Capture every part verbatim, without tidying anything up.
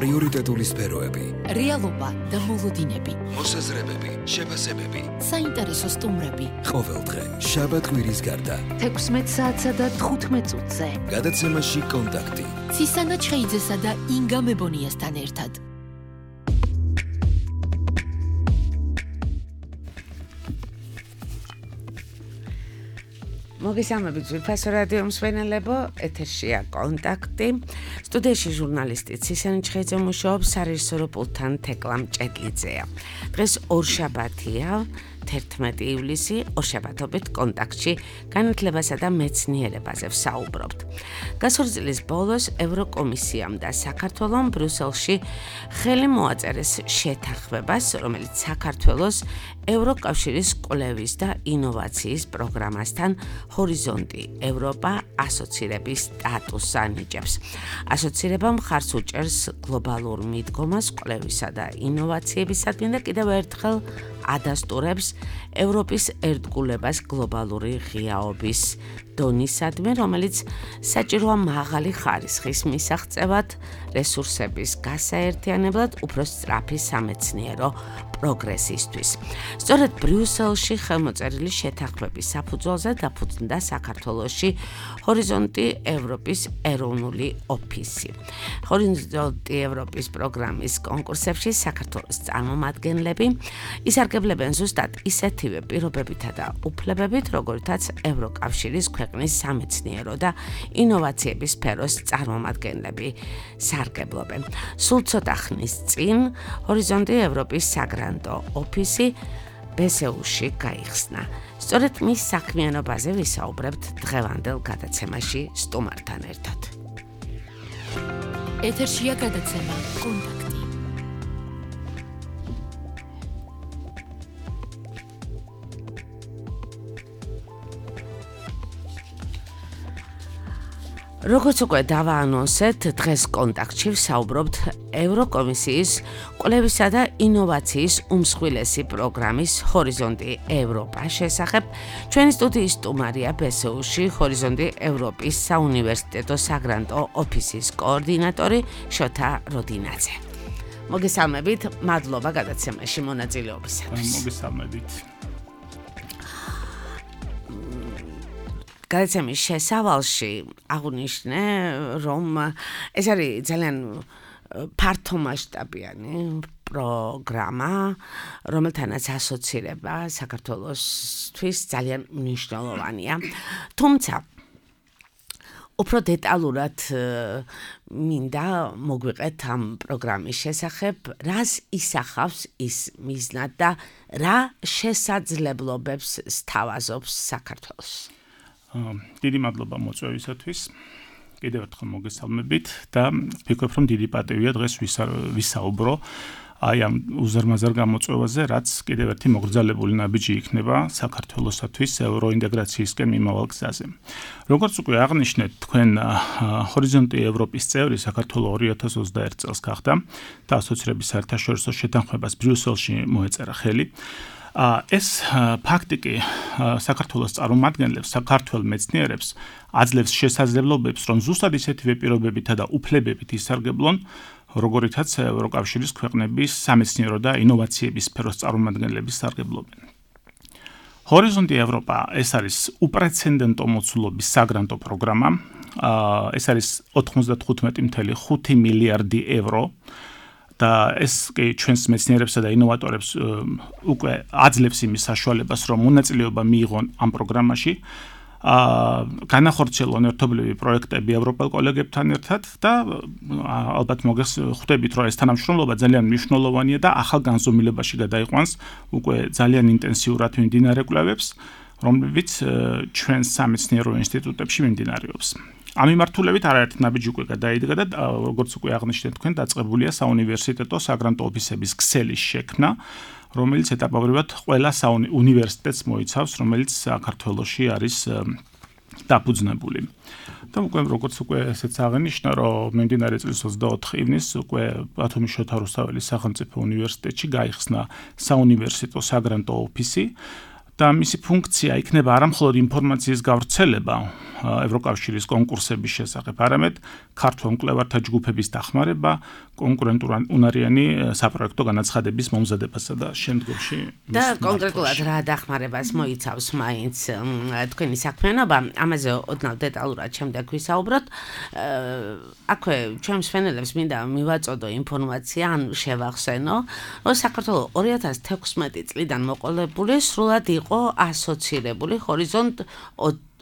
პრიორიტეტული სფეროები, რეალობა და მოლოდინები, მოსაზრებები, შეფასებები, საინტერესო სტუმრები. ყოველდღე შაბათ-კვირის გარდა თექვსმეტ საათსა და თხუთმეტ წუთზე. გადაცემაში კონტაქტი. ცისანა ჩხეიძესა და ინგა მებონიასთან ერთად. მოგესალმებით ძვირფასო რადიო მსმენელებო, ეთერშია კონტაქტი. სტუდიაში ჟურნალისტი ცისანა ჩხეიძე მუშაობს, სარეჟისორო პულტთან თეკლა მჭედლიძეა. დღეს ორშაბათია, თერთმეტი ივლისი, ორშაბათობით კონტაქტში განათლებასა და მეცნიერებაზე ვსაუბრობთ. გასული წლის ბოლოს ევროკომისიამ და საქართველომ ბრიუსელში ხელი მოაწერეს შეთანხმებას, რომელიც საქართველოს ევროკავშირის კვლევის და ინოვაციის პროგრამასთან ჰორიზონტი ევროპა ასოცირების სტატუსს ანიჭებს. ასოცირება მხარს უჭერს გლობალურ მიდგომას კვლევისა და ინოვაციებისადმი და კიდევ ერთხელ ადასტურებს ევროპის ერთგულებას გლობალური ღიაობის დონისადმი, რომელიც საჭიროა მაღალი ხარისხის მისაღწევად, რესურსების გასაერთიანებლად, უფრო სწრაფი სამეცნიერო პროგრესისთვის. სწორედ ბრიუსელში ხელმოწერილი შეთანხმების საფუძველზე დაფუძნდა საქართველოში ჰორიზონტი ევროპის ეროვნული ოფისი. ჰორიზონტი ევროპის პროგრამის კონკურსებში საქართველოს წარმომადგენლები ისარგებლებენ ზუსტად ისეთივე პირობებითა და უფლებებით, როგორითაც ევროკავშირის ქვეყნის სამეცნიერო და ინოვაციების სფეროს წარმომადგენლები სარგებლობენ. სულ ცოტა ხნის წინ ჰორიზონტი ევროპის საგრანტო ოფისი ბესეუში გაიხსნა. სწორედ მის საქმიანობაზე ვისაუბრებთ დღევანდელ გადაცემაში სტუმართან ერთად. ეთერშია გადაცემა კონტაქტი. როგორც უკვე დავაანონსეთ, დღეს კონტაქტში ვსაუბრობთ ევროკომისიის კვლევისა და ინოვაციის უმსხვილესი პროგრამის ჰორიზონტი ევროპა შესახებ. ჩვენი სტუდიის სტუმარია ბესეუში ჰორიზონტი ევროპის საუნივერსიტეტო საგრანტო ოფისის კოორდინატორი შოთა როდინაძე. მოგესალმებით, მადლობა გადაცემაში მონაწილეობისათვის. მოგესალმებით. გადაცემის შესავალში აღნიშნე, რომ ეს არის ძალიან ფართომასშტაბიანი პროგრამა, რომელთანაც ასოცირება საქართველოსთვის ძალიან მნიშვნელოვანია. თუმცა უფრო დეტალურად მინდა მოგვიყეთ ამ პროგრამის შესახებ, რას ისახავს ის მიზნად და რა შესაძლებლობებს სთავაზობს საქართველოს. დიდი მადლობა მოწვევისათვის. კიდევ ერთხელ მოგესალმებით და ვფიქრობ, რომ დიდი პატივია დღეს ვისაუბრო აი ამ უზარმაზარ გამოწვევაზე, რაც კიდევ ერთი მოგრძალებული ნაბიჯი იქნება საქართველოსათვის ევროინტეგრაციისკენ მიმავალ გზაზე. როგორც უკვე აღნიშნეთ, თქვენ ჰორიზონტი ევროპის წევრი საქართველო ორი ათას ოცდაერთ წელს გახდა და ასოცირების საერთაშორისო შეთანხმებას ბრიუსელში მოეწერა ხელი. ეს ფაქტი კი საქართველოს წარმომადგენლებს, საქართველოს მეცნიერებს აძლევს შესაძლებლობებს, რომ ზუსტად ისეთივე პირობებითა და უფლებებით ისარგებლონ, როგორითაც ევროკავშირის ქვეყნების სამეცნიერო და ინოვაციების სფეროს წარმომადგენლები სარგებლობენ. ჰორიზონტი ევროპა ეს არის უპრეცედენტო მოცულობის საგრანტო პროგრამა. ეს არის ოთხმოცდათხუთმეტი წუთი ხუთი მილიარდი ევრო. და ეს კი ჩვენს მეცნიერებსა და ინოვატორებს უკვე აძლევს იმის საშუალებას, რომ მონაწილეობა მიიღონ ამ პროგრამაში, განახორციელონ ერთობლივი პროექტები ევროპელ კოლეგებთან ერთად და ალბათ მოგხვდებით, რომ ეს თანამშრომლობა ძალიან მნიშვნელოვანია და ახალ განზომილებაში გადაიყვანს უკვე ძალიან ინტენსიურად მიმდინარე კვლევებს, რომლებიც ჩვენს სამეცნიერო ინსტიტუტებში მიმდინარეობს. ამ მიმართულებით არაერთი ნაბიჯი უკვე გადაიდგა და როგორც უკვე აღნიშნეთ, თქვენ დაწყებულია საუნივერსიტეტო საგრანტო ოფისების ქსელის შექმნა, რომელიც ეტაპობრივად ყველა უნივერსიტეტს მოიცავს, რომელიც საქართველოში არის დაფუძნებული. და უკვე როგორც უკვე ესეც აღნიშნა, რომ მიმდინარე წლის ოცდაოთხ ივნისს უკვე ბათუმის შოთა რუსთაველის სახელმწიფო უნივერსიტეტში გაიხსნა საუნივერსიტეტო საგრანტო ოფისი. და მისი ფუნქცია იქნება არა მხოლოდ ინფორმაციის გავრცელება ევროკავშირის კონკურსების შესახებ, არამედ ქართულ მკვლევართა ჯგუფების დახმარება, კონკურენტუნარიანი საპროექტო განაცხადების მომზადებასა და შემდგომში და კონკრეტულად რა დახმარებას მოიცავს მაინც თქვენი საქმიანობა, ამაზე ოდნავ დეტალურად შემდეგ ვისაუბროთ. აქვე ჩვენს მსმენელებს მინდა მივაწოდო ინფორმაცია, ან შევახსენო, რომ საქართველოს ორი ათას თექვსმეტი წლიდან მოყოლებული სრულად იყო ასოცირებული ჰორიზონტ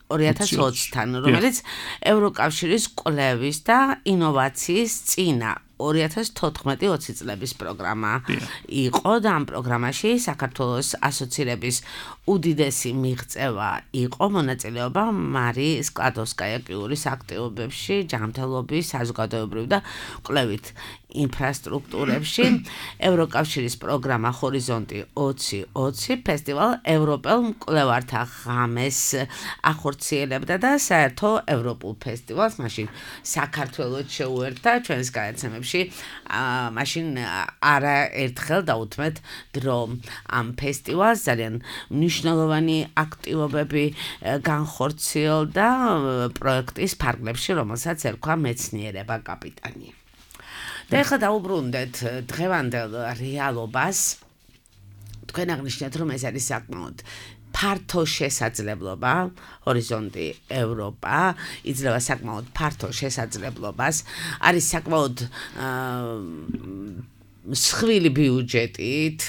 ორი ათას ოცთან, რომელიც ევროკავშირის კვლევის და ინოვაციის წინა ორი ათას თოთხმეტი ოცი წლების პროგრამა იყო და ამ პროგრამაში საქართველოს ასოცირების უდიდესი მიღწევა იყო მონაწილეობა მარი სკლადოვსკაია-კიურის აქტივობებში, ჯანმრთელობის, საზოგადოებრივ და კვლევით ინფრასტრუქტურებში. ევროკავშირის პროგრამა ჰორიზონტი ოცი ოცი ფესტივალ ევროპელ მკვლევართა ღამეს ახორციელებდა და საერთო ევროპულ ფესტივალს მაშინ საქართველოს შეუერთდა ჩვენს გადაცემებში. მაშინ არაერთხელ დაუთმეთ დრო ამ ფესტივალს, ძალიან მნიშვნელოვანი აქტივობები განხორციელდა პროექტის ფარგლებში, რომელსაც ერქვა მეცნიერება კაპიტანი. და ეხლა დაუბრუნდეთ დღევანდელ რეალობას. თქვენ აღნიშნეთ, რომ ეს არის საკმაოდ ფართო შესაძლებლობა, ჰორიზონტი ევროპა იძლევა საკმაოდ ფართო შესაძლებლობას, არის საკმაოდ მსხვილი ბიუჯეტით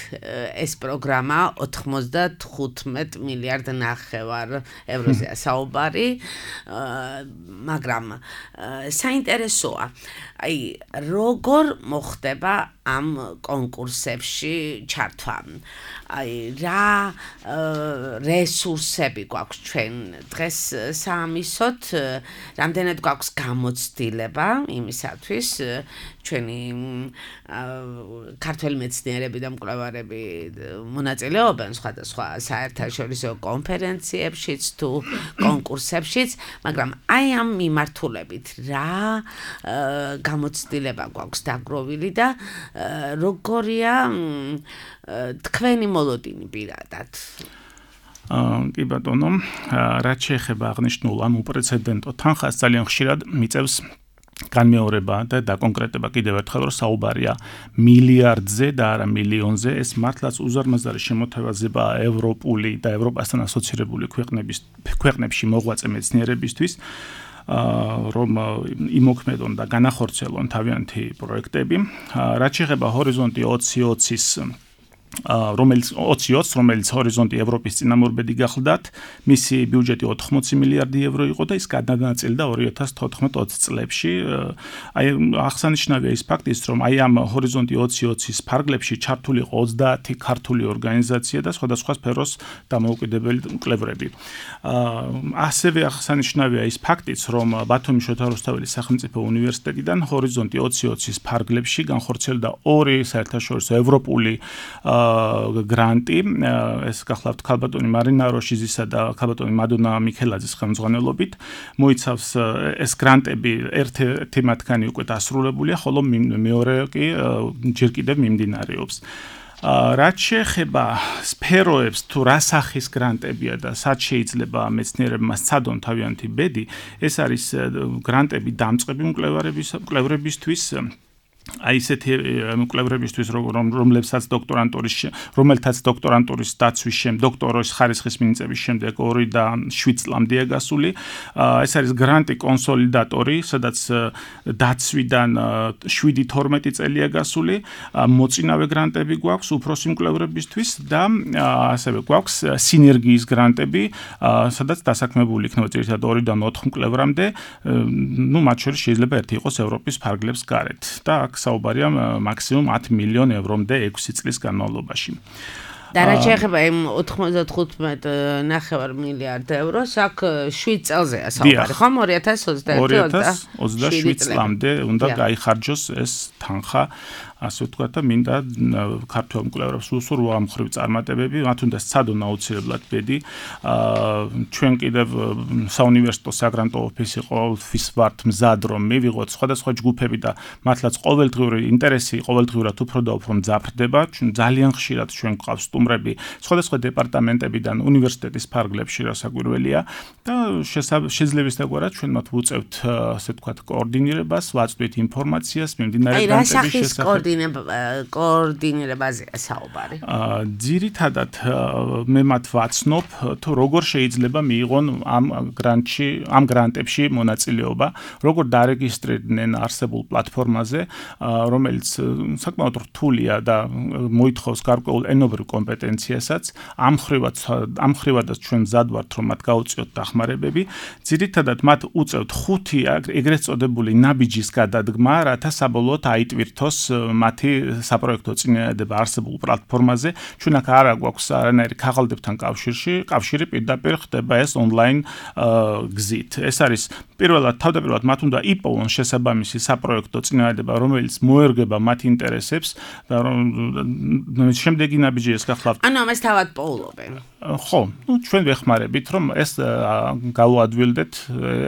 ეს პროგრამა ოთხმოცდათხუთმეტ მილიარდ ნახევარ ევროზეა საუბარი, მაგრამ საინტერესოა, აი როგორ მოხდება ამ კონკურსებში ჩართვა. აი რა რესურსები გვაქვს ჩვენ დღეს საამისოდ, რამდენად გვაქვს გამოცდილება იმისათვის ჩვენი ქართველი მეცნიერები და მკვლევარები მონაწილეობენ სხვადასხვა საერთაშორისო კონფერენციებშიც თუ კონკურსებშიც, მაგრამ აი ამ მიმართულებით რა გამოცდილება გვაქვს დაგროვილი და როგორია თქვენი მოლოდინი პირადად? კი ბატონო, რაც შეეხება აღნიშნულ ამ უპრეცედენტო თანხას, ძალიან ხშირად მიწევს განმეორება და დაკონკრეტება კიდევ ერთხელ, რომ საუბარია მილიარდზე და არა მილიონზე. ეს მართლაც უზარმაზარი შემოთავაზება ევროპული და ევროპასთან ასოცირებული ქვეყნების ქვეყნებში მოღვაწე მეცნიერებისთვის, რომ იმოქმედონ და განახორციელონ თავიანთი პროექტები. რაც შეეხება ჰორიზონტი ოცი ოცის რომელიც ოცი ოცს, რომელიც ჰორიზონტი ევროპის წინამორბედი გახლდათ, მისი ბიუჯეტი ოთხმოცი მილიარდი ევრო იყო და ის გადანაწილდა ორი ათას თოთხმეტ ოცი წლებში. აი აღსანიშნავია ის ფაქტიც, რომ აი ამ ჰორიზონტი ოცი ოცის ფარგლებში ჩართული იყო ოცდაათი ქართული ორგანიზაცია და სხვადასხვა სფეროს დამოუკიდებელი მკვლევრები. ასევე აღსანიშნავია ის ფაქტიც, რომ ბათუმის შოთა რუსთაველის სახელმწიფო უნივერსიტეტიდან ჰორიზონტი ოცი ოცის ფარგლებში განხორციელდა ორი საერთაშორისო ევროპული გრანტი, ეს გახლავთ ქალბატონი მარინა როშიზისა და ქალბატონი მადონა მიქელაძის ხელმძღვანელობით. მოიცავს ეს გრანტები, ერთი მათგანი უკვე დასრულებულია, ხოლო მეორე კი ჯერ კიდევ მიმდინარეობს. რაც შეეხება სფეროებს, თუ რა სახის გრანტებია და სად შეიძლება მეცნიერებმა სცადონ თავიანთი ბედი, ეს არის გრანტები დამწყები მკვლევრებისთვის, აი ესეთი მკვლევრებისთვის, რომლებსაც დოქტორანტურის რომელთაც დოქტორანტურის დაცვის შემდეგ, დოქტორის ხარისხის მინიჭების შემდეგ ორი და შვიდ წლამდეა გასული. ეს არის გრანტი კონსოლიდატორი, სადაც დაცვიდან შვიდი თორმეტი წელია გასული. მოწინავე გრანტები გვაქვს უფროსი მკვლევრებისთვის და ასევე გვაქვს სინერგიის გრანტები, სადაც დასაქმებული იქნება ძირითადად ორიდან ოთხ მკვლევრამდე, ну, მათ შორის შეიძლება ერთი იყოს ევროპის ფარგლებს გარეთ და აქ საუბარია მაქსიმუმ ათი მილიონი ევრომდე ექვსი წლის განმავლობაში. და რაც შეეხება იმ ოთხმოცდათხუთმეტ ნახევარ მილიარდ ევროს, აქ შვიდ წელზეა საუბარი, ხომ? ორი ათას ოცდაერთი ოცდაშვიდ წლამდე უნდა გაიხარჯოს ეს თანხა, ასე ვთქვათ და მინდა ქართველ მკვლევარებს უსურვო ამ ხრივ წარმატებები, მათ უნდა სცადონ აუცილებლად ბედი. ჩვენ კიდევ საუნივერსიტეტო საგრანტო ოფისი ყოველთვის ვართ მზად რომ მივიღოთ სხვადასხვა ჯგუფები და მათლაც ყოველდღიური ინტერესი ყოველდღიურად უფრო და უფრო მძაფრდება. ძალიან ხშირად ჩვენ გვყავს სტუმრები სხვადასხვა დეპარტამენტებიდან უნივერსიტეტის ფარგლებში, რასაკვირველია და შესაძლებისდაგვარად ჩვენ მათ ვუწევთ, ასე ვთქვათ, კოორდინირებას, ვაწვდით ინფორმაციას მიმდინარე განათლების შესახებ. კოორდინირებაზეა საუბარი. ძირითადად მე მათ ვაცნობ, თუ როგორ შეიძლება მიიღონ ამ გრანტში, ამ გრანტებში მონაწილეობა, როგორ დარეგისტრირდნენ არსებულ პლატფორმაზე, რომელიც საკმაოდ რთულია და მოითხოვს გარკვეულ ენობრივ კომპეტენციასაც. ამ ხრივად ამ ხრივადაც ჩვენ მზად ვართ, რომ მათ გაუწიოთ დახმარებები. ძირითადად მათ უწევთ ხუთი ეგრეთ წოდებული ნაბიჯის გადადგმა, რათა საბოლოოდ აიტვირთოს მათი საპროექტო წინააღმდება არსებულ პლატფორმაზე. ჩვენ აქ არ გვაქვს არანაირი ქაღალდებთან კავშირში, კავშირი პირდაპირ ხდება ეს ონლაინ გზით. ეს არის პირველად თავდაპირველად მათ უნდა იპოვონ შესაბამისი საპროექტო წინააღმდება, რომელიც მოერგება მათ ინტერესებს და რომ შემდეგი ნაბიჯი ეს გახლავთ. ანუ ამას თავად პოულობენ. ხო, ну ჩვენ ვეხმარებით რომ ეს გავუადვილდეთ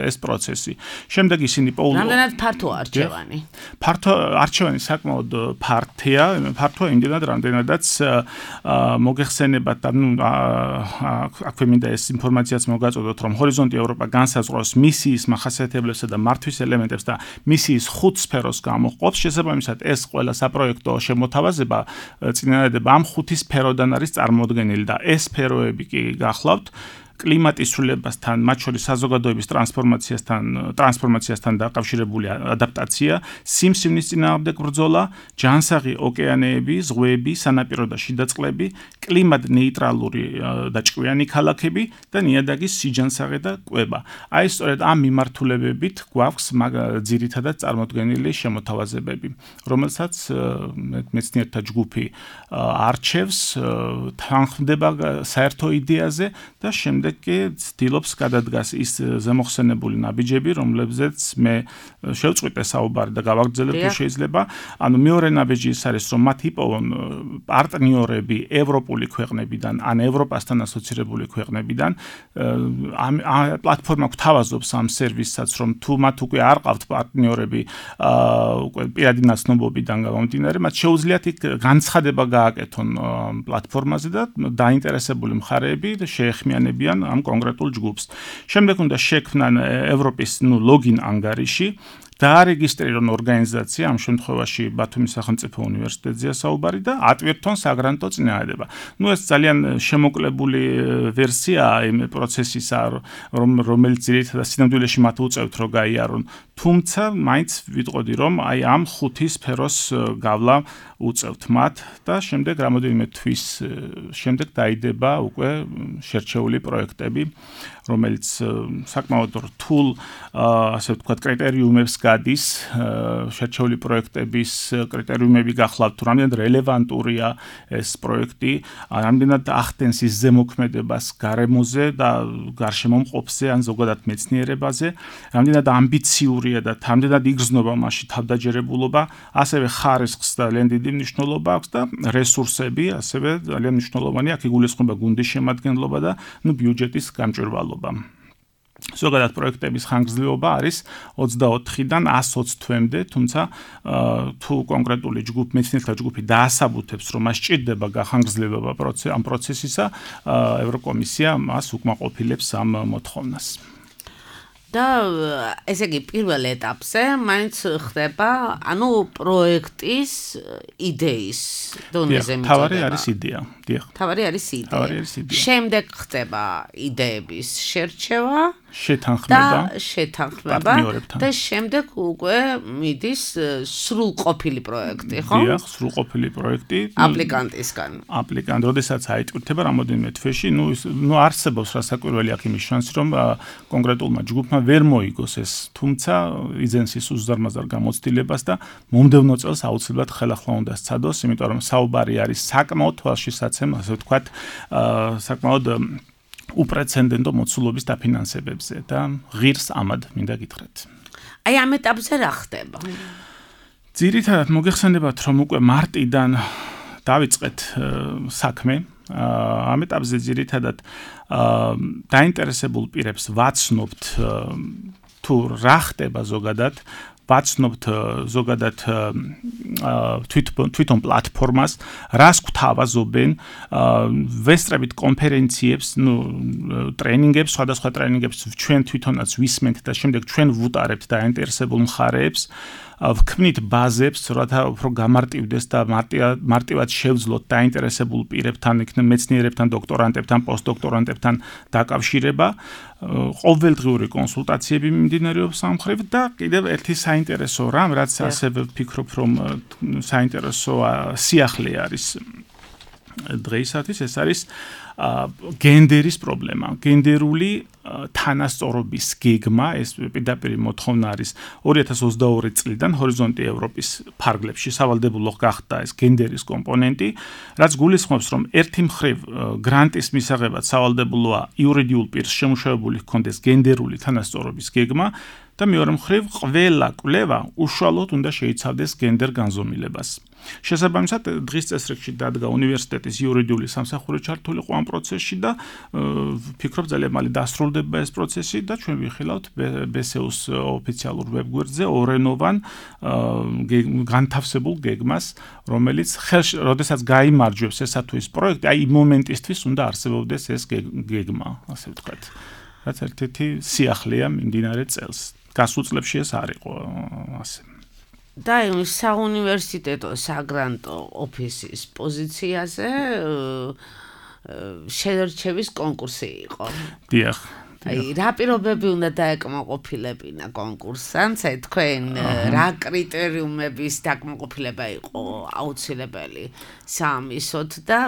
ეს პროცესი. შემდეგ ისინი პოულობენ. რამდენად ფართოა არჩევანი? ფართო არჩევანი საკმაოდ ფართია, ფართოა იმდენად, რამდენადაც მოგეხსენებათ და ну აქვე მინდა ეს ინფორმაციაც მოგაწოდოთ, რომ ჰორიზონტი ევროპა განსაზღვრავს მისიის მახასიათებლებსა და მართვის ელემენტებს და მისიის ხუთ სფეროს გამოყოფს. შესაბამისად ეს ყველა საპროექტო შემოთავაზება წინააღმდება ამ ხუთი სფეროდან არის წარმოდგენილი და ეს სფეროები კი გახლავთ კლიმატის ცვლილებასთან, მათ შორის საზოგადოების ტრანსფორმაციასთან, ტრანსფორმაციასთან დაკავშირებული ადაპტაცია, სიმსივნის წინააღმდეგ ბრძოლა, ჯანსაღი ოკეანეები, ზღვები, სანაპირო და შიდა წყლები, კლიმატ ნეიტრალური და ჭკვიანი ქალაქები და ნიადაგის სიჯანსაღე და კვება. აი სწორედ ამ მიმართულებებით გვაქვს ძირითადად წარმოდგენილი შემოთავაზებები, რომელსაც მეცნიერთა ჯგუფი არჩევს, თანხმდება საერთო იდეაზე და შემდეგ კი ცდილობს გადადგას ის ზემოხსენებული ნაბიჯები, რომლებზეც მე შევწყვიტე საუბარი და გავაგრძელებ თუ შეიძლება. ანუ მეორე ნაბიჯი ის არის, რომ მათ იპოვონ პარტნიორები ევროპული ქვეყნებიდან, ან ევროპასთან ასოცირებული ქვეყნებიდან. ამ პლატფორმა გვთავაზობს ამ სერვისსაც, რომ თუ მათ უკვე არ ყავთ პარტნიორები, უკვე პირადი ნაცნობობიდან გამომდინარე, მათ შეუძლიათ იქ განცხადება გააკეთონ პლატფორმაზე და დაინტერესებული მხარეები შეეხმიანებიან ამ კონკრეტულ ჯგუფს. შემდეგ უნდა შექმნან ევროპის ნუ ლოგინ ანგარიში, დაარეგისტრირონ ორგანიზაცია, ამ შემთხვევაში ბათუმის სახელმწიფო უნივერსიტეტზეა საუბარი და ატვირთონ საგრანტო წინააღმდება. ნუ ეს ძალიან შემოკლებული ვერსიაა იმ პროცესისა, რომელიც ძირითადად სინამდვილეში მათ უწევთ რომ გაიარონ. თუმცა მაინც ვიტყოდი რომ აი ამ ხუთი სფეროს გავლა უწევთ მათ და შემდეგ რამოდენიმე თვის შემდეგ დაიდება უკვე შერჩეული პროექტები, რომელიც საკმაოდ რთულ ასე ვთქვათ კრიტერიუმებს გადის. შერჩეული პროექტების კრიტერიუმები გახლავთ, თუ რამდენად რელევანტურია ეს პროექტი, რამდენად ახდენს ის ზემოქმედებას გარემოზე და გარშემომყოფზე ან ზოგადად მეცნიერებაზე, რამდენად ამბიციურია და რამდენად იგრძნობა მასში თავდაჯერებულობა, ასევე ხარისხს და ლენდიდი მნიშვნელობა აქვს და რესურსები, ასევე ძალიან მნიშვნელოვანი აქ იგულისხმება გუნდის შემადგენლობა და ნუ ბიუჯეტის გამჭვირვალობა. ზოგადად პროექტების ხანგრძლივობა არის ოცდაოთხიდან ასს ოცი თვემდე, თუმცა თუ კონკრეტული ჯგუფი, მეცნიერთა ჯგუფი დაასაბუთებს, რომ მას სჭირდება გახანგრძლივება ამ პროცესისა, ევროკომისია მას უკმაყოფილებს ამ მოთხოვნას. და ესე იგი პირველ ეტაპზე მაინც ხდება, ანუ პროექტის იდეის დონეზე მიწოდება. თავარი არის იდეა, დიახ. თავარი არის იდეა. შემდეგ ხდება იდეების შერჩევა შეთანხმება და შეთანხმება და შემდეგ უკვე მიდის სრულყოფილი პროექტი, ხო? დიახ, სრულყოფილი პროექტი აპლიკანტისგან. აპლიკანტ, როდესაც აიტვირთება რამოდენიმე თვეში, ნუ ნუ არსებობს რასაკვირველი აქ იმის შანსი, რომ კონკრეტულმა ჯგუფმა ვერ მოიგოს ეს, თუმცა იძენს ის უზარმაზარ გამოცდილებას და მომდევნო წელს აუცილებლად ხელახლა უნდა სცადოს, იმიტომ რომ საუბარი არის საკმაოდ თვალშისაცემ, ასე ვთქვათ, საკმაოდ უპრეცედენტო მოცულობის დაფინანსებებზე და ღირს ამად მინდა გითხრათ. აი ამ ეტაპზე რა ხდება? ძირითადად მოგეხსენებათ, რომ უკვე მარტიდან დავიწყეთ საქმე. ამ ეტაპზე ძირითადად დაინტერესებულ პირებს ვაცნობთ თუ რა ხდება ზოგადად, ვაცნობთ ზოგადად თვითონ პლატფორმას, რას გვთავაზობენ, ვესწრებით კონფერენციებს, ნუ ტრენინგებს, სხვადასხვა ტრენინგებს ჩვენ თვითონაც ვისმენთ და შემდეგ ჩვენ ვუტარებთ დაინტერესებულ მხარეებს. ვქმნით ბაზებს, რათა უფრო გამარტივდეს და მარტივად შევძლოთ დაინტერესებულ პირებთან, იქნებ მეცნიერებთან, დოქტორანტებთან, პოსტდოქტორანტებთან დაკავშირება. ყოველდღიური კონსულტაციები მიმდინარეობს ამ მხრივ და კიდევ ერთი საინტერესო რამ, რაც ასევე ვფიქრობ, რომ საინტერესო სიახლე არის დღეისათვის, ეს არის გენდერის პრობლემა, გენდერული თანასწორობის გეგმა, ეს პირდაპირ მოთხოვნა არის ორი ათას ოცდაორი წლიდან ჰორიზონტი ევროპის ფარგლებში სავალდებულო გახდა ეს გენდერის კომპონენტი, რაც გულისხმობს, რომ ერთი მხრივ გრანტის მისაღებად სავალდებულოა იურიდიულ პირს შემუშავებული ჰქონდეს გენდერული თანასწორობის გეგმა და მეორე მხრივ ყველა კვლევა უშუალოდ უნდა შეიცავდეს გენდერ განზომილებას. შესაბამისად, დღის წესრიგში დადგა უნივერსიტეტის იურიდიული სამსახური ჩართული ყო ამ პროცესში და ვფიქრობ ძალიან მალე დასრულდება ეს პროცესი და ჩვენ ვიხილავთ ბე ეს იუს ოფიციალურ ვებგვერდზე ორენოვან განთავსებულ გეგმას, რომელიც ხელში, როდესაც გაიმარჯვებს ესა თუ ის პროექტი, აი იმ მომენტისთვის უნდა არსებობდეს ეს გეგმა, ასე ვთქვათ. რაც ერთ-ერთი სიახლეა მიმდინარე წელს. გასულ წლებში ეს არ იყო ასე. და იმ საუნივერსიტეტო საგრანტო ოფისის პოზიციაზე შერჩევის კონკურსი იყო. დიახ. აი, რა პირობები უნდა დაეკმაყოფილებინა კონკურსანტს, აი თქვენ რა კრიტერიუმების დაკმაყოფილება იყო აუცილებელი საამისოდ და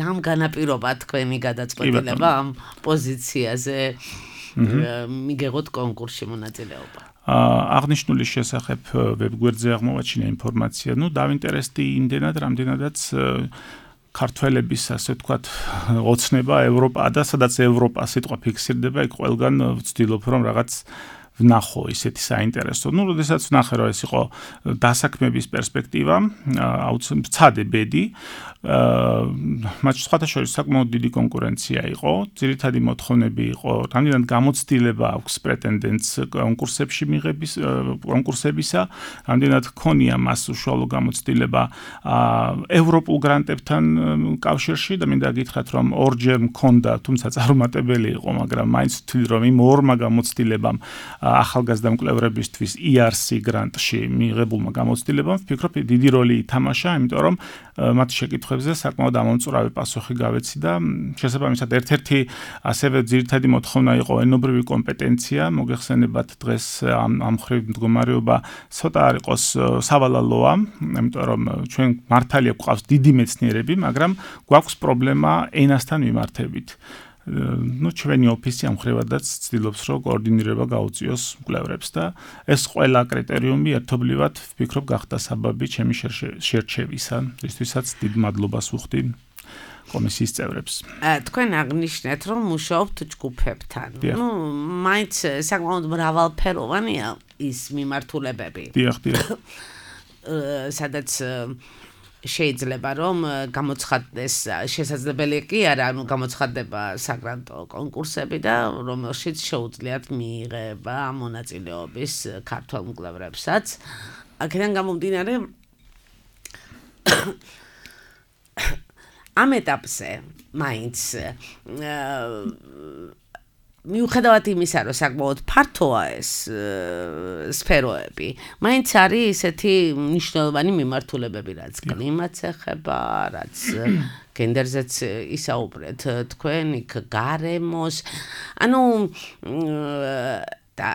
რამ განაპირობა თქვენი გადაწყვეტილება ამ პოზიციაზე მიგեղოთ კონკურსში მონაწილეობა. აღნიშნული შესახებ ვებგვერდზე აღმოვაჩინა ინფორმაცია, ну, დავინტერესდი იმდენად, რამდენადაც ქართველების, ასე ვთქვათ, ოცნება ევროპა და სადაც ევროპა სიტყვა ფიქსირდება, იქ ყველგან ვცდილობ, რომ რაღაც ვნახო ისეთი საინტერესო. Ну, როდესაც ვნახე, რომ ეს იყო დასაქმების პერსპექტივა, აუცილებლად ვცადე ბედი. მათ სხვათა შორის საკმაოდ დიდი კონკურენცია იყო, ძირითადი მოთხოვნები იყო, რამდენად გამოცდილება აქვს პრეტენდენტს კონკურსებში მიღების კონკურსებისა, რამდენად ჰქონია მას უშუალო გამოცდილება ევროპულ გრანტებთან კავშირში და მინდა გითხრათ, რომ ორჯერ მქონდა, თუმცა წარუმატებელი იყო, მაგრამ მაინც ვთვლი, რომ იმ ორმა გამოცდილებამ ახალგაზრდა მკვლევრებისთვის ი არ სი გრანტში მიღებულმა გამოცდილებამ ვფიქრობ დიდი როლი ითამაშა, იმიტომ რომ მათ შეკითხვებზე საკმაოდ ამომწურავი პასუხი გავეცი და შესაბამისად ერთ-ერთი ასევე ძირითადი მოთხოვნა იყო ენობრივი კომპეტენცია, მოგეხსენებათ დღეს ამ ამ მხრივ მდგომარეობა ცოტა არ იყოს სავალალოა, იმიტომ რომ ჩვენ მართალია გვყავს დიდი მეცნიერები, მაგრამ გვაქვს პრობლემა ენასთან მიმართებით. Ну, ჩვენი ოფისი ამ ხრივადაც ცდილობს, რომ კოორდინირება გაუწიოს მკვლევრებს და ეს ყველა კრიტერიუმი ერთობლივად ვფიქრობ გახდა საბაბი ჩემი შერჩევისა, რისთვისაც დიდ მადლობას ვუხდი კომისიის წევრებს. თქვენ აღნიშნეთ, რომ მუშაობთ ჯგუფებთან. Ну, მაინც საკმაოდ მრავალფეროვანია ის მიმართულებები. დიახ, დიახ. სადაც შეიძლება რომ გამოცხადდეს შესაძლებელი კი არა, ანუ გამოცხადდება საგრანტო კონკურსები და რომელშიც შეუძლიათ მიიღება მონაწილეობის ქართველ მკვლევრებსაც. აქედან გამომდინარე ამ ეტაპზე მაინც მიუხედავად იმისა, რომ საკმაოდ ფართოა ეს სფეროები, მაინც არის ისეთი მნიშვნელოვანი მიმართულებები, რაც კლიმატს ეხება, რაც გენდერზეც ისაუბრეთ თქვენ, იქ გარემოს, ანუ და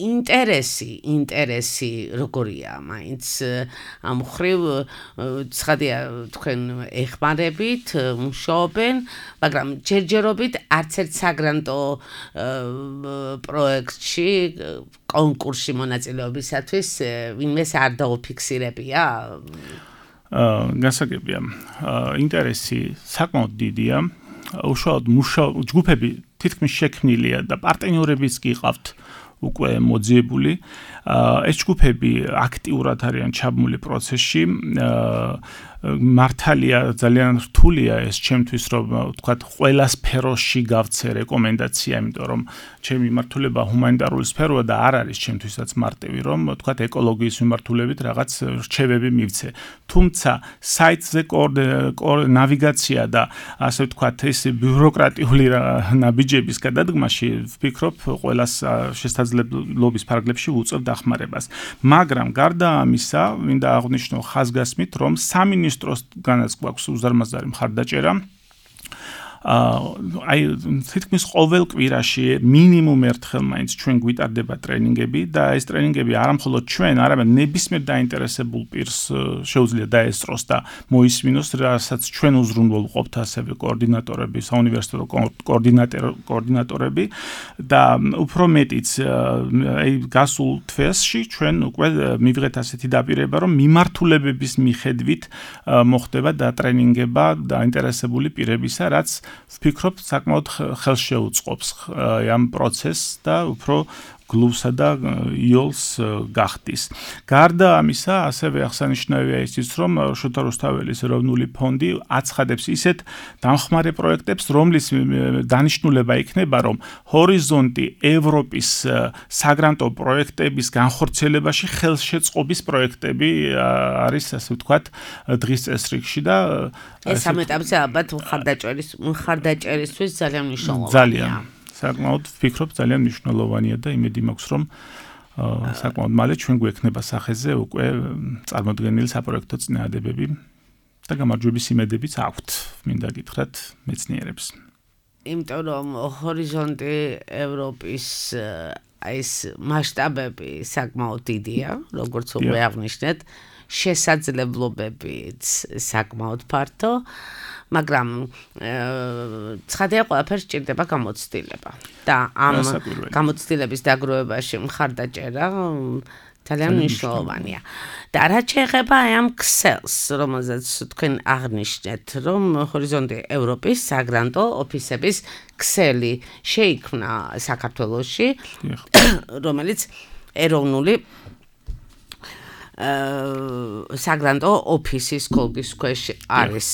ინტერესი, ინტერესი როგორია, მაინც ამ ხრივ ცხადია თქვენ ეხმარებით, მუშაობენ, მაგრამ ჯერჯერობით არც ერთ საგრანტო პროექტში, კონკურსში მონაწილეობისათვის ვინმეს არ დაუფიქსირებია? გასაგებია, ინტერესი საკმაოდ დიდია, უშუალოდ მუშაობ ჯგუფები თითქმის შექმნილია და პარტნიორებიც კი ყავთ უკვე მოძიებული. ეს ჯგუფები აქტიურად არიან ჩაბმული პროცესში. მართალია ძალიან რთულია ეს ჩემთვის რომ ვთქვათ ყველა სფეროში გავცე რეკომენდაცია, იმიტომ რომ ჩემი მიმართულება ჰუმანიტარული სფეროა და არ არის ჩემთვისაც მარტივი რომ ვთქვათ ეკოლოგიის მიმართულებით რაღაც რჩევები მივცე. თუმცა საიტზე ნავიგაცია და ასე ვთქვათ ეს ბიუროკრატიული ნაბიჯების გადადგმაში ვფიქრობ ყველას შესაძლებლობის ფარგლებში ვუწევ დახმარებას. მაგრამ გარდა ამისა, მინდა აღვნიშნო ხაზგასმით, რომ სამინისტროსგანაც გვაქვს უზარმაზარი მხარდაჭერა. აი თითქმის ყოველ კვირაში მინიმუმ ერთხელ მაინც ჩვენ გვიტარდება ტრენინგები და ეს ტრენინგები არა მხოლოდ ჩვენ, არამედ ნებისმიერ დაინტერესებულ პირს შეუძლია დაესწროს და მოისმინოს, რასაც ჩვენ უზრუნველ ვყოფთ ასევე კოორდინატორები, საუნივერსიტეტო კოორდინატორები და უფრო მეტიც აი გასულ თვეში ჩვენ უკვე მივიღეთ ასეთი დაპირება, რომ მიმართულებების მიხედვით მოხდება დატრენინგება დაინტერესებული პირებისა, რაც ვფიქრობ საკმაოდ ხელს შეუწყობს ამ პროცესს და უფრო გლუვსა და იოლს გახდის. გარდა ამისა, ასევე აღსანიშნავია ისიც, რომ შოთა რუსთაველის ეროვნული ფონდი აცხადებს ისეთ დამხმარე პროექტებს, რომლის დანიშნულება იქნება, რომ ჰორიზონტი ევროპის საგრანტო პროექტების განხორციელებაში ხელშეწყობის პროექტები არის, ასე ვთქვათ, დღის წესრიგში და ეს ამ ეტაპზე ალბათ მხარდაჭერის მხარდაჭერისთვის ძალიან მნიშვნელოვანია. ძალიან საკმაოდ ვფიქრობ ძალიან მნიშვნელოვანია და იმედი მაქვს რომ საკმაოდ მალე ჩვენ გვექნება სახეზე უკვე წარმოდგენილი საპროექტო წინააღმდეგები და გამარჯვების იმედებიც აქვთ მინდა გითხრათ მეცნიერებს. იმიტომ რომ ჰორიზონტი ევროპის ეს მასშტაბები საკმაოდ დიდია, როგორც უკვე აღნიშნეთ, შესაძლებლობებიც საკმაოდ ფართო. მაგრამ ცხადია ყველაფერს სჭირდება გამოცდილება და ამ გამოცდილების დაგროვებაში მხარდაჭერა ძალიან მნიშვნელოვანია. და რაც შეეხება ამ ქსელს, რომელზეც თქვენ აღნიშნეთ, რომ ჰორიზონტი ევროპის საგრანტო ოფისების ქსელი შეიქმნა საქართველოში, რომელიც ეროვნული საგრანტო ოფისის კოლგის ქვეშ არის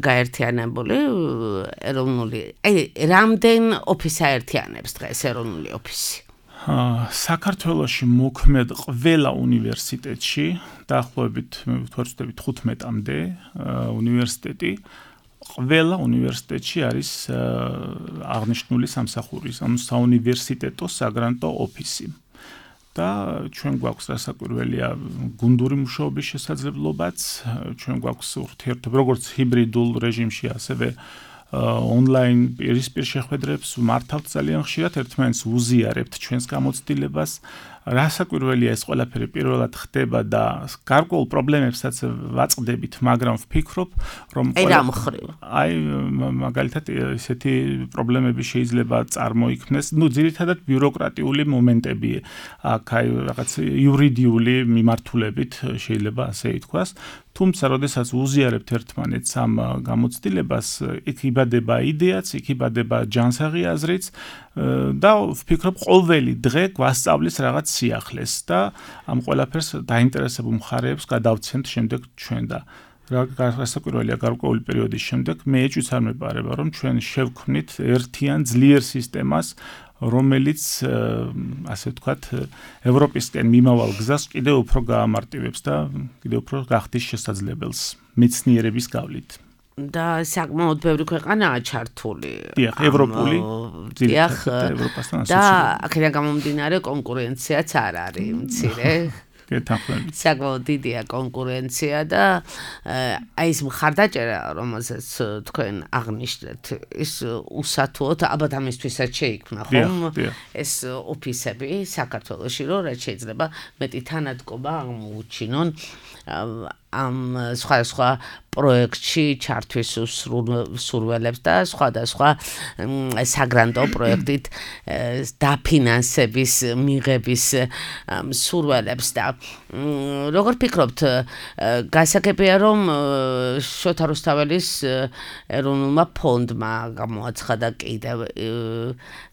გაერთიანებული ეროვნული რამდენ ოფისი აერთიანებს დღეს ეროვნული ოფისი? საქართველოში მოქმედ ყველა უნივერსიტეტში დაახლოებით ვთქვათ თხუთმეტამდე უნივერსიტეტი ყველა უნივერსიტეტში არის აღნიშნული სამსახურის ამ საუნივერსიტეტო საგრანტო ოფისი. და ჩვენ გვაქვს რასაკვირველია გუნდური მუშაობის შესაძლებლობაც, ჩვენ გვაქვს ურთიერთობა როგორც ჰიბრიდულ რეჟიმში, ასევე ონლაინ პირისპირ შეხვედრებს ვმართავთ ძალიან ხშირად, ერთმანეთს ვუზიარებთ ჩვენს გამოცდილებას. რასაკვირველია ეს ყველაფერი პირველად ხდება და გარკვეულ პრობლემებსაც ვაწყდებით, მაგრამ ვფიქრობ, რომ აი მაგალითად ესეთი პრობლემები შეიძლება წარმოიქმნეს, ну ძირითადად ბიუროკრატიული მომენტები, აქ აი რაღაც იურიდიული მიმართულებით შეიძლება ასე ითქვას. თუმცა, როდესაც უზიარებთ ერთმანეთს ამ გამოცდილებას, იქ იბადება იდეაც, იქ იბადება ჯანსაღი აზრიც და ვფიქრობ, ყოველი დღე გვასწავლის რაღაც სიახლეს და ამ ყველაფერს დაინტერესებულ მხარეებს გადავცემთ შემდეგ ჩვენ და რასაკვირველია გარკვეული პერიოდის შემდეგ მე ეჭვიც არ მეპარება, რომ ჩვენ შევქმნით ერთიან ძლიერ სისტემას, რომელიც ასე ვთქვათ ევროპისკენ მიმავალ გზას კიდევ უფრო გაამარტივებს და კიდევ უფრო გახდის შესაძლებელს მეცნიერების გავლით. და საკმაოდ ბევრი ქვეყანაა ჩართული. დიახ, ევროპული, ძირითადად ევროპასთან ასოცირებული. და აქედან გამომდინარე კონკურენციაც არ არის მცირე. საკმაოდ დიდია კონკურენცია და აი ეს მხარდაჭერა, რომელზეც თქვენ აღნიშნეთ, ის უსათუოდ ალბათ ამისთვისაც შეიქმნა, ხომ? ეს ოფისები საქართველოში, რომ რაც შეიძლება მეტი თანადგომა აღმოუჩინონ ამ სხვა-სხვა პროექტში ჩართვის სურველებს და სხვადასხვა საგრანტო პროექტით დაფინანსების მიღების სურველებს და როგორ ფიქრობთ გასაგებია რომ შოთა რუსთაველის ეროვნულმა ფონდმა გამოაცხადა კიდევ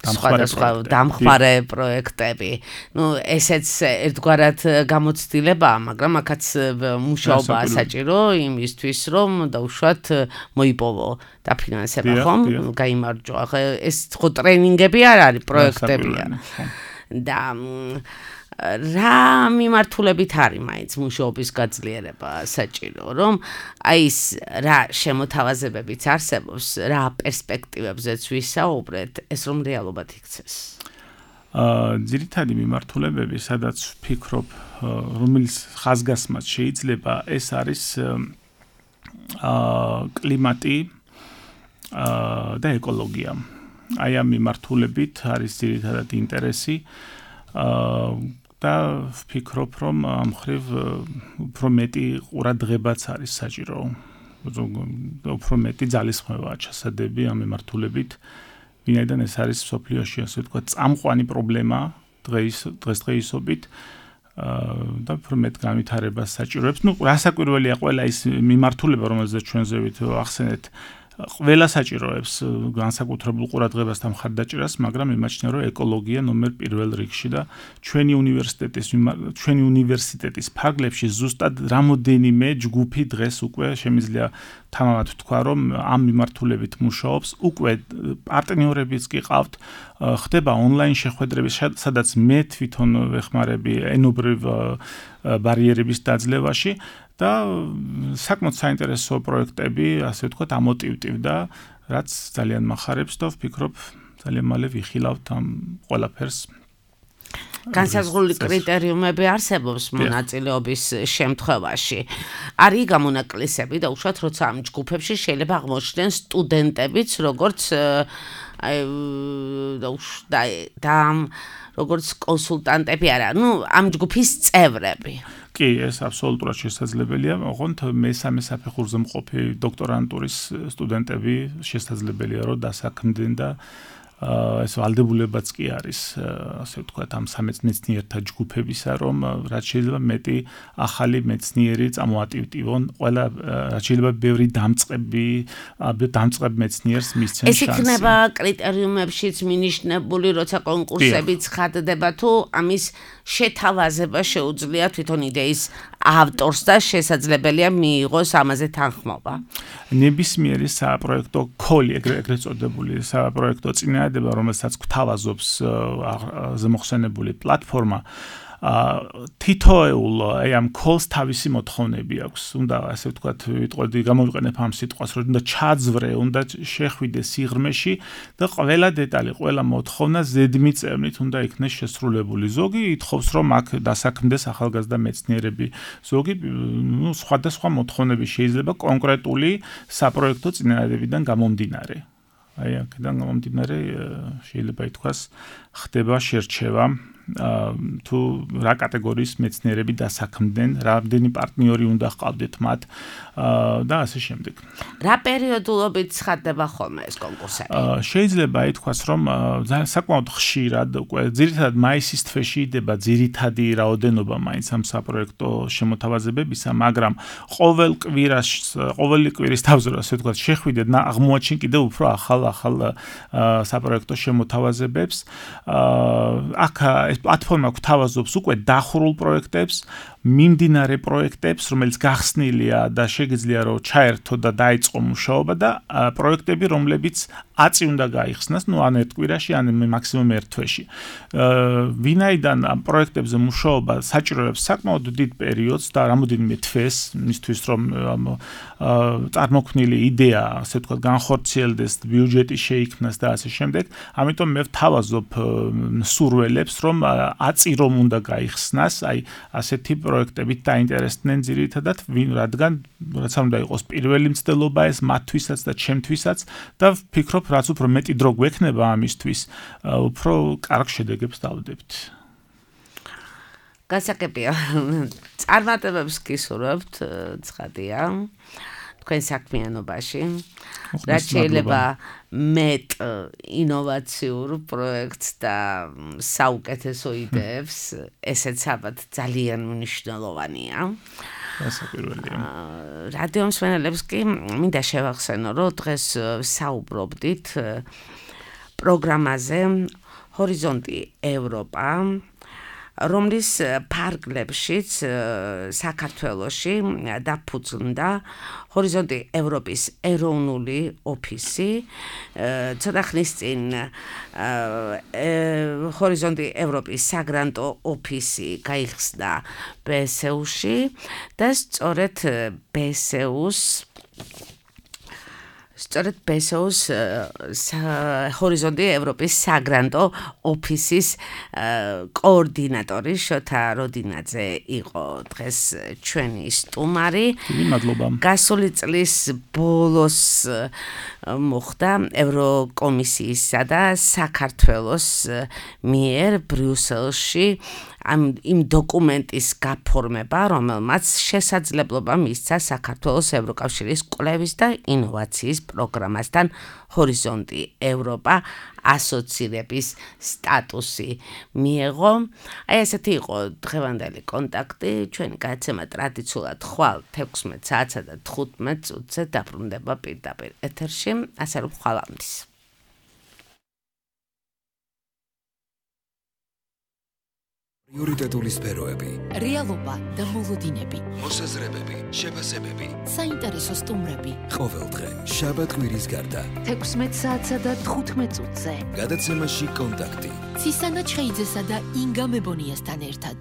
სხვადასხვა დამხმარე პროექტები ну ესეც ერთგვარად გამოცდილებაა მაგრამ აქაც მუშაობაა საჭირო იმისთვის რომ დაუშვათ მოიპოვო დაფინანსება ხომ გაიმარჯვა ეს ხო ტრენინგები არ არის პროექტებია და რა მიმართულებით არის მაინც მუშაობის გაძლიერება საჭირო რომ აი ეს რა შემოთავაზებებიც არსებობს რა პერსპექტივებზეც ვისაუბრეთ ეს რომ რეალობად იქცეს აა ძირითადი მიმართულებები სადაც ვფიქრობ რომელიც ხაზგასმაც შეიძლება ეს არის აა კლიმატი აა და ეკოლოგია. აი ამ მიმართულებით არის ძირითადად ინტერესი აა და ვფიქრობ რომ ამ ხრივ უფრო მეტი ყურადღებაც არის საჭირო. უფრო მეტი ძალისხმევაა ჩასადები ამ მიმართულებით. ვინაიდან ეს არის სოფლიოში ასე ვთქვათ წამყვანი პრობლემა დღეს დღესდღეობით და უფრო მეტ განვითარებას საჭიროებს. ნუ რასაკვირველია ყველა ის მიმართულება რომელზეც ჩვენ ზევით ახსენეთ ყველა საჭიროებს განსაკუთრებულ ყურადღებას და მხარდაჭერას, მაგრამ იმაჩნია რომ ეკოლოგია ნომერ პირველ რიგში და ჩვენი უნივერსიტეტის ჩვენი უნივერსიტეტის ფარგლებში ზუსტად რამოდენიმე ჯგუფი დღეს უკვე შემიძლია თამამად ვთქვა რომ ამ მიმართულებით მუშაობს, უკვე პარტნიორებიც კი ყავთ, ხდება ონლაინ შეხვედრები, სადაც მე თვითონ ვეხმარები ენობრივ ბარიერების დაძლევაში და საკმაოდ საინტერესო პროექტები, ასე ვთქვათ, ამოტივტივდა, რაც ძალიან მახარებს და ვფიქრობ, ძალიან მალე ვიხილავთ ამ ყველაფერს. განსაზღვრული კრიტერიუმები არსებობს მონაწილეობის შემთხვევაში. არის გამონაკლისები და უშუალოდ როცა ამ ჯგუფებში შეიძლება აღმოჩნდნენ სტუდენტებიც, როგორც აი და როგორც კონსულტანტები არა, ну ამ ჯგუფის წევრები. კი, ეს აბსოლუტურად შესაძლებელია. ოღონდ მესამე საფეხურზე მყოფი დოქტორანტურის სტუდენტები შესაძლებელია რომ დასაქმდნენ და ეს ვალდებულებაც კი არის, ასე ვთქვათ, ამ სამეცნიერთა ჯგუფებისა, რომ რაც შეიძლება მეტი ახალი მეცნიერი წამოატივტივონ, ყველა რაც შეიძლება ბევრი დამწყები, დამწყებ მეცნიერს მისცენ შანსი. ეს იქნება კრიტერიუმებშიც მინიშნებული, როცა კონკურსები ცხადდება თუ ამის შეთავაზება შეუძლია თვითონ იდეის ავტორს და შესაძლებელია მიიღოს ამაზე თანხმობა. ნებისმიერი საპროექტო კოლი, ეგრეთ წოდებული საპროექტო წინააღმდება, რომელსაც გვთავაზობს ზემოხსენებული პლატფორმა, თითოეულ აი ამ კოლს თავისი მოთხოვნები აქვს. უნდა ასე ვთქვათ, ვიტყოდი, გამოვიყენებ ამ სიტყვას, რომ უნდა ჩაძვრე, უნდა შეხვიდე სიღრმეში და ყველა დეტალი, ყველა მოთხოვნა ზედმიწევნით უნდა იქნეს შესრულებული. ზოგი ითხოვს, რომ აქ დასაქმდეს ახალგაზრდა მეცნიერები. ზოგი, ნუ სხვადასხვა მოთხოვნები შეიძლება კონკრეტული საპროექტო წინააღმდებიდან გამომდინარე. აი აქედან გამომდინარე შეიძლება ითქვას, ხდება შერჩევა თუ რა კატეგორიის მეცნიერები დასაქმდნენ, რამდენი პარტნიორი უნდა ჰყავდეთ მათ და ასე შემდეგ. რა პერიოდულობით ცხადდება ხოლმე ეს კონკურსები? შეიძლება ითქვას, რომ საკმაოდ ხშირად, უკვე ძირითადად მაისის თვეში იდება ძირითადი რაოდენობა მაინც ამ საპროექტო შემოთავაზებებისა, მაგრამ ყოველ კვირას, ყოველი კვირის თავზე, ასე ვთქვათ, შეხვიდეთ და აღმოაჩინ კიდევ უფრო ახალ ახალ საპროექტო შემოთავაზებებს. აქ ეს პლატფორმა გვთავაზობს უკვე დახურულ პროექტებს, მიმდინარე პროექტებს, რომელიც გახსნილია და შეგიძლია რომ ჩაერთო და დაიწყო მუშაობა და პროექტები, რომლებიც აწი უნდა გაიხსნას, ну ან ერთ კვირაში, ან მაქსიმუმ ერთ თვეში. ვინაიდან ამ პროექტებზე მუშაობა საჭიროებს საკმაოდ დიდ პერიოდს და რამოდენიმე თვეს, მისთვის რომ წარმოქმნილი იდეა, ასე ვთქვათ, განხორციელდეს, ბიუჯეტი შეიქმნას და ასე შემდეგ, ამიტომ მე ვთავაზობ სურველებს, რომ აწი რომ უნდა გაიხსნას, აი ასეთი პროექტებით დაინტერესდნენ ძირითადად, რადგან რაც უნდა იყოს პირველი მცდელობა ეს მათთვისაც და ჩემთვისაც და ვფიქრობ, რაც უფრო მეტი დრო გვექნება ამისთვის, უფრო კარგ შედეგებს დავდებთ. გასაგებია. წარმატებებს გისურვებთ, ცხადია. თქვენ საქმიანობაში. რაც შეიძლება მეტ ინოვაციურ პროექტს და საუკეთესო იდეებს, ესეც ალბათ ძალიან მნიშვნელოვანია. გასაკვირველია. რადიო მსმენელებს კი მინდა შევახსენო, რომ დღეს საუბრობდით პროგრამაზე ჰორიზონტი ევროპა, რომლის ფარგლებშიც საქართველოში დაფუძნდა ჰორიზონტი ევროპის ეროვნული ოფისი. ცოტა ხნის წინ ჰორიზონტი ევროპის საგრანტო ოფისი გაიხსნა ბე ეს იუ-ში და სწორედ ბე ეს იუ-ს სწორედ ბე ეს იუ-ს ჰორიზონტი ევროპის საგრანტო ოფისის კოორდინატორი შოთა როდინაძე იყო დღეს ჩვენი სტუმარი. მადლობა. გასული წლის ბოლოს მოხდა ევროკომისიისა და საქართველოს მიერ ბრიუსელში ამ იმ დოკუმენტის გაფორმება, რომელმაც შესაძლებლობა მისცა საქართველოს ევროკავშირის კვლევის და ინოვაციის პროგრამასთან ჰორიზონტი ევროპა ასოცირების სტატუსი მიეღო. აი ესეთი იყო დღევანდელი კონტაქტი. ჩვენი გადაცემა ტრადიციულად ხვალ თექვსმეტ საათსა და თხუთმეტ წუთზე დაბრუნდება პირდაპირ ეთერში. ასე რომ ხვალამდის. პრიორიტეტული სფეროები, რეალობა და მოლოდინები, მოსაზრებები, შეფასებები, საინტერესო სტუმრები. ყოველდღე შაბათ კვირის გარდა თექვსმეტ საათსა და თხუთმეტ წუთზე. გადაცემაში კონტაქტი. ცისანა ჩხეიძესა და ინგა მებონიასთან ერთად.